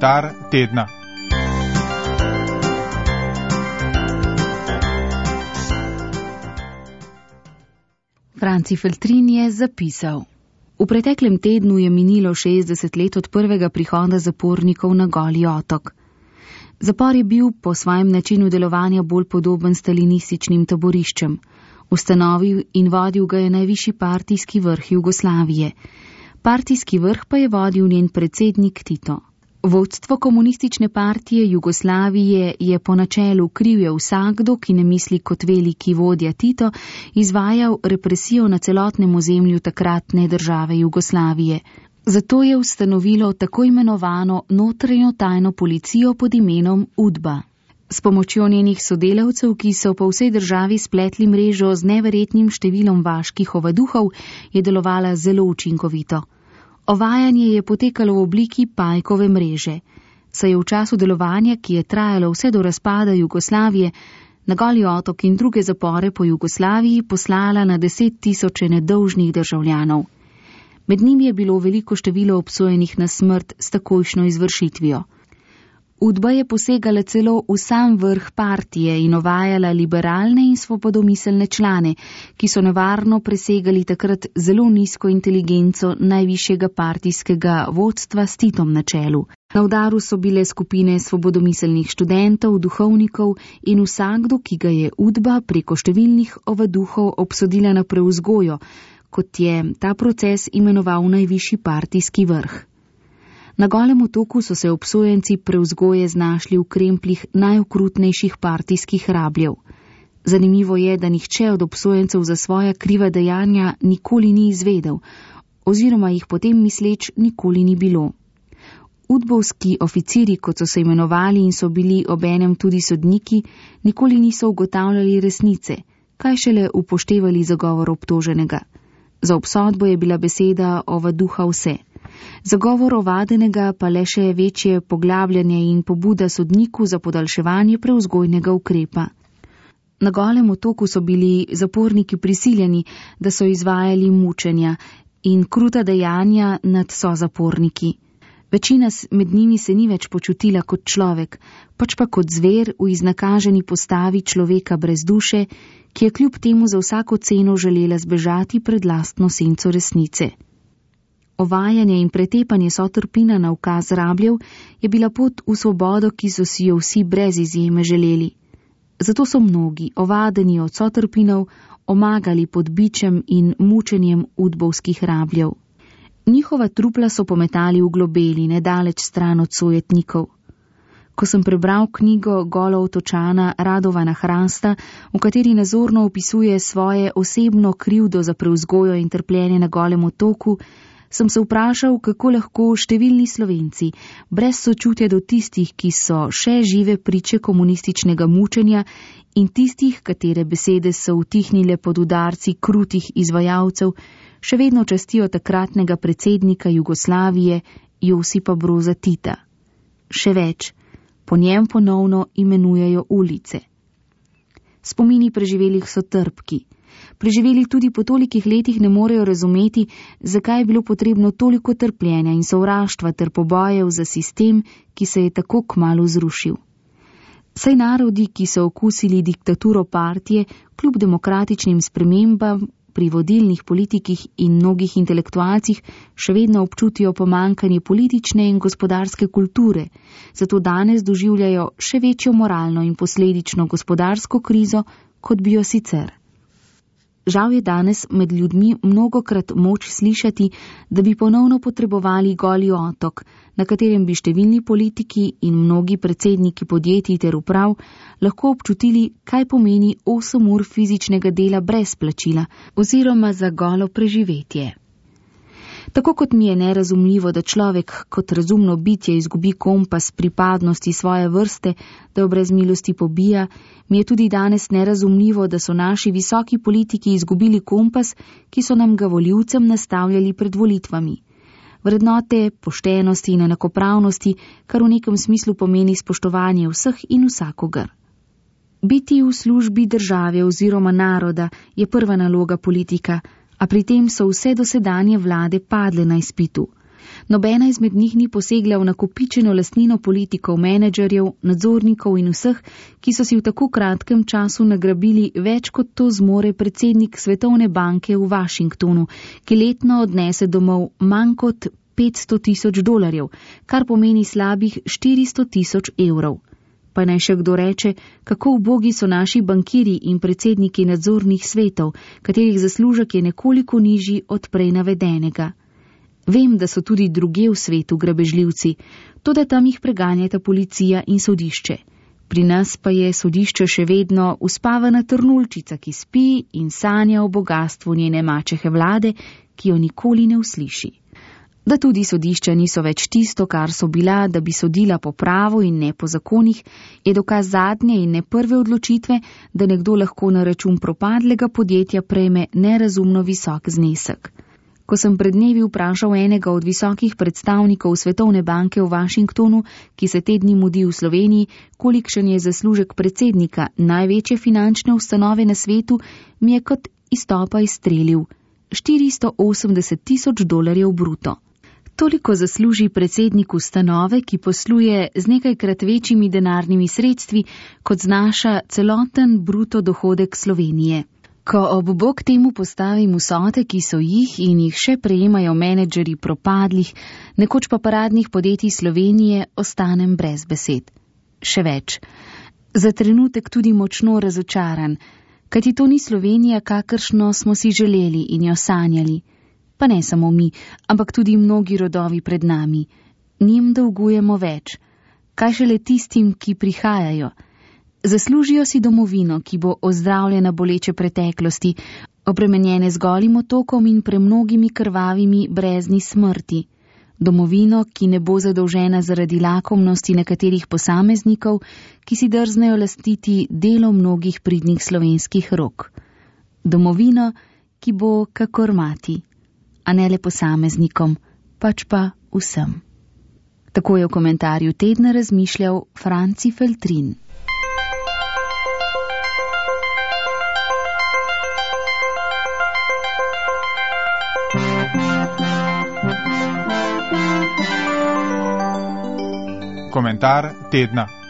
Komentar tedna. Franci Feltrin je zapisal: v preteklem tednu je minilo 60 let od prvega prihoda zapornikov na Goli otok. Zapor je bil po svojem načinu delovanja bolj podoben stalinističnim taboriščem. Ustanovil in vodil ga je najvišji partijski vrh Jugoslavije. Partijski vrh pa je vodil njen predsednik Tito. Vodstvo komunistične partije Jugoslavije je po načelu kriv je vsakdo, ki ne misli kot veliki vodja Tito, izvajal represijo na celotnem ozemlju takratne države Jugoslavije. Zato je ustanovilo tako imenovano notranjo tajno policijo pod imenom UDBA. S pomočjo njenih sodelavcev, ki so po vsej državi spletli mrežo z neverjetnim številom vaških ovaduhov, je delovala zelo učinkovito. Ovajanje je potekalo v obliki pajkove mreže. Saj je v času delovanja, ki je trajalo vse do razpada Jugoslavije, na Goli otok in druge zapore po Jugoslaviji poslala na 10 000 nedolžnih državljanov. Med njimi je bilo veliko število obsojenih na smrt s takojšnjo izvršitvijo. UDBA je posegala celo v sam vrh partije in ovajala liberalne in svobodomiselne člane, ki so nevarno presegali takrat zelo nizko inteligenco najvišjega partijskega vodstva s Titom na čelu. Na udaru so bile skupine svobodomiselnih študentov, duhovnikov in vsakdo, ki ga je UDBA preko številnih ovaduhov obsodila na preuzgojo, kot je ta proces imenoval najvišji partijski vrh. Na Golem otoku so se obsojenci preuzgoje znašli v krempljih najokrutnejših partijskih rabljev. Zanimivo je, da nihče od obsojencev za svoja kriva dejanja nikoli ni izvedel, oziroma jih potem misleč nikoli ni bilo. Udbovski oficiri, kot so se imenovali in so bili obenem tudi sodniki, nikoli niso ugotavljali resnice, kaj šele upoštevali zagovor obtoženega. Za obsodbo je bila beseda ovaduha vse. Zagovor ovadenega pa le še večje poglabljanje in pobuda sodniku za podaljševanje preuzgojnega ukrepa. Na Golem otoku so bili zaporniki prisiljeni, da so izvajali mučenja in kruta dejanja nad sozaporniki. Večina med njimi se ni več počutila kot človek, pač pa kot zver v iznakaženi postavi človeka brez duše, ki je kljub temu za vsako ceno želela zbežati pred lastno senco resnice. Ovajanje in pretepanje sotrpina na ukaz rabljev je bila pot v svobodo, ki so si jo vsi brez izjeme želeli. Zato so mnogi, ovadeni od sotrpinov, omagali pod bičem in mučenjem udbovskih rabljev. Njihova trupla so pometali v globeli, nedaleč stran od sojetnikov. Ko sem prebral knjigo Gola otočana Radovana Hrasta, v kateri nazorno opisuje svoje osebno krivdo za preuzgojo in trpljenje na Golem otoku, sem se vprašal, kako lahko številni Slovenci, brez sočutja do tistih, ki so še žive priče komunističnega mučenja in tistih, katere besede so utihnile pod udarci krutih izvajalcev, še vedno častijo takratnega predsednika Jugoslavije Josipa Broza Tita. Še več, po njem ponovno imenujejo ulice. Spomini preživelih so trpki. Preživeli tudi po tolikih letih ne morejo razumeti, zakaj je bilo potrebno toliko trpljenja in sovraštva ter pobojev za sistem, ki se je tako kmalu zrušil. Saj narodi, ki so okusili diktaturo partije, kljub demokratičnim spremembam pri vodilnih politikih in mnogih intelektualcih še vedno občutijo pomankanje politične in gospodarske kulture, zato danes doživljajo še večjo moralno in posledično gospodarsko krizo, kot bi jo sicer. Žal je danes med ljudmi mnogokrat moč slišati, da bi ponovno potrebovali Goli otok, na katerem bi številni politiki in mnogi predsedniki podjetij ter uprav lahko občutili, kaj pomeni 8 ur fizičnega dela brez plačila oziroma za golo preživetje. Tako kot mi je nerazumljivo, da človek kot razumno bitje izgubi kompas pripadnosti svoje vrste, da jo brez milosti pobija, mi je tudi danes nerazumljivo, da so naši visoki politiki izgubili kompas, ki so nam ga volivcem nastavljali pred volitvami. Vrednote, poštenosti in enakopravnosti, kar v nekem smislu pomeni spoštovanje vseh in vsakogar. Biti v službi države oziroma naroda je prva naloga politika, a pri tem so vse dosedanje vlade padle na izpitu. Nobena izmed njih ni posegla v nakopičeno lastnino politikov, menedžerjev, nadzornikov in vseh, ki so si v tako kratkem času nagrabili več kot to zmore predsednik Svetovne banke v Washingtonu, ki letno odnese domov manj kot $500,000, kar pomeni slabih 400,000 evrov. Pa naj še kdo reče, kako ubogi so naši bankiri in predsedniki nadzornih svetov, katerih zaslužek je nekoliko nižji od prej navedenega. Vem, da so tudi druge v svetu grabežljivci, toda tam jih preganjata policija in sodišče. Pri nas pa je sodišče še vedno uspavana trnulčica, ki spi in sanja o bogastvu njene mačehe vlade, ki jo nikoli ne usliši. Da tudi sodišča niso več tisto, kar so bila, da bi sodila po pravu in ne po zakonih, je dokaz zadnje in ne prve odločitve, da nekdo lahko na račun propadlega podjetja prejme nerazumno visok znesek. Ko sem pred dnevi vprašal enega od visokih predstavnikov Svetovne banke v Washingtonu, ki se te dni mudi v Sloveniji, kolikšen je zaslužek predsednika največje finančne ustanove na svetu, mi je kot iz topa izstrelil $480,000 bruto. Toliko zasluži predsednik ustanove, ki posluje z nekajkrat večjimi denarnimi sredstvi, kot znaša celoten bruto dohodek Slovenije. Ko ob bok temu postavim vsote, ki so jih in jih še prejemajo menedžeri propadlih, nekoč pa paradnih podjetij Slovenije, ostanem brez besed. Še več. Za trenutek tudi močno razočaran, kajti to ni Slovenija, kakršno smo si želeli in jo sanjali. Pa ne samo mi, ampak tudi mnogi rodovi pred nami. Njim dolgujemo več. Kaj šele tistim, ki prihajajo? Zaslužijo si domovino, ki bo ozdravljena boleče preteklosti, obremenjene z golim otokom in premnogimi krvavimi brezni smrti. Domovino, ki ne bo zadolžena zaradi lakomnosti nekaterih posameznikov, ki si drznejo lastiti delo mnogih pridnih slovenskih rok. Domovino, ki bo kakor mati, a ne le posameznikom, pač pa vsem. Tako je v komentarju tedna razmišljal Franci Feltrin. Komentar tedna.